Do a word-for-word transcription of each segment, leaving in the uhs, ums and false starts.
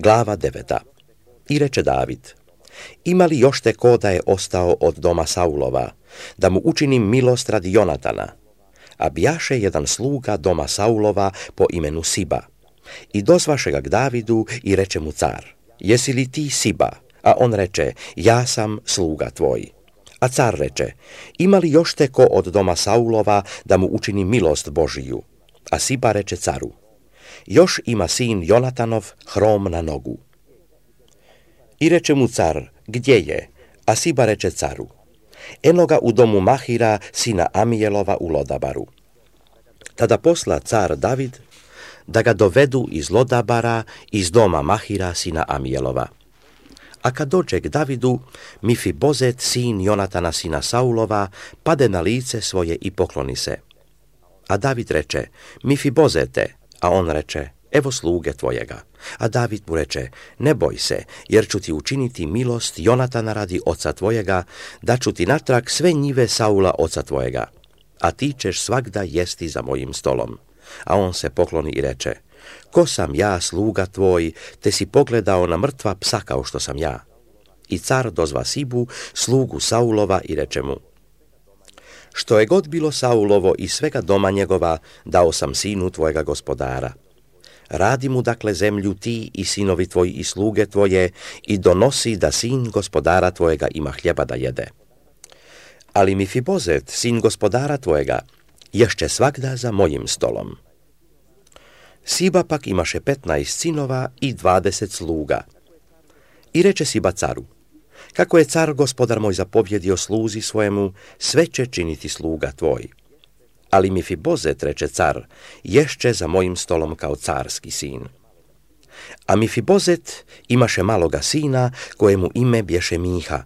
Glava deveta. I reče David: Ima li još te ko da je ostao od doma Saulova, da mu učinim milost radi Jonatana? A bjaše jedan sluga doma Saulova po imenu Siba. I dozvaše ga k Davidu i reče mu car: Jesi li ti Siba? A on reče: Ja sam sluga tvoj. A car reče: Ima li još te ko od doma Saulova da mu učini milost Božiju? A Siba reče caru: Još ima sin Jonatanov hrom na nogu. I reče mu car: Gdje je? A Siba reče caru: Eno ga u domu Mahira, sina Amijelova u Lodabaru. Tada posla car David da ga dovedu iz Lodabara, iz doma Mahira, sina Amijelova. A kad dođe k Davidu, Mifibozet, sin Jonatana, sina Saulova, pade na lice svoje i pokloni se. A David reče: Mifibozete, a on reče: Evo sluge tvojega. A David mu reče: Ne boj se, jer ću ti učiniti milost Jonatana radi oca tvojega, da ću ti natrag sve njive Saula oca tvojega, a ti ćeš svagda jesti za mojim stolom. A on se pokloni i reče: Ko sam ja, sluga tvoj, te si pogledao na mrtva psa kao što sam ja? I car dozva Sibu, slugu Saulova, i reče mu: Što je god bilo Saulovo i svega doma njegova, dao sam sinu tvojega gospodara. Radi mu dakle zemlju ti i sinovi tvoji i sluge tvoje, i donosi da sin gospodara tvojega ima hljeba da jede. Ali Mifibozet, sin gospodara tvojega, ješće svagda za mojim stolom. Siba pak imaše petnaest sinova i dvadeset sluga. I reče Siba caru: Kako je car gospodar moj zapovjedio sluzi svojemu, sve će činiti sluga tvoj. Ali Mifibozet, reče car, ješće za mojim stolom kao carski sin. A Mifibozet imaše maloga sina, kojemu ime bješe Miha,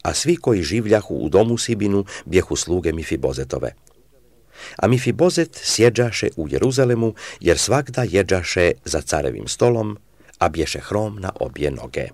a svi koji življahu u domu Sibinu bjehu sluge Mifibozetove. A Mifibozet sjeđaše u Jeruzalemu, jer svagda jeđaše za carevim stolom, a bješe hrom na obje noge.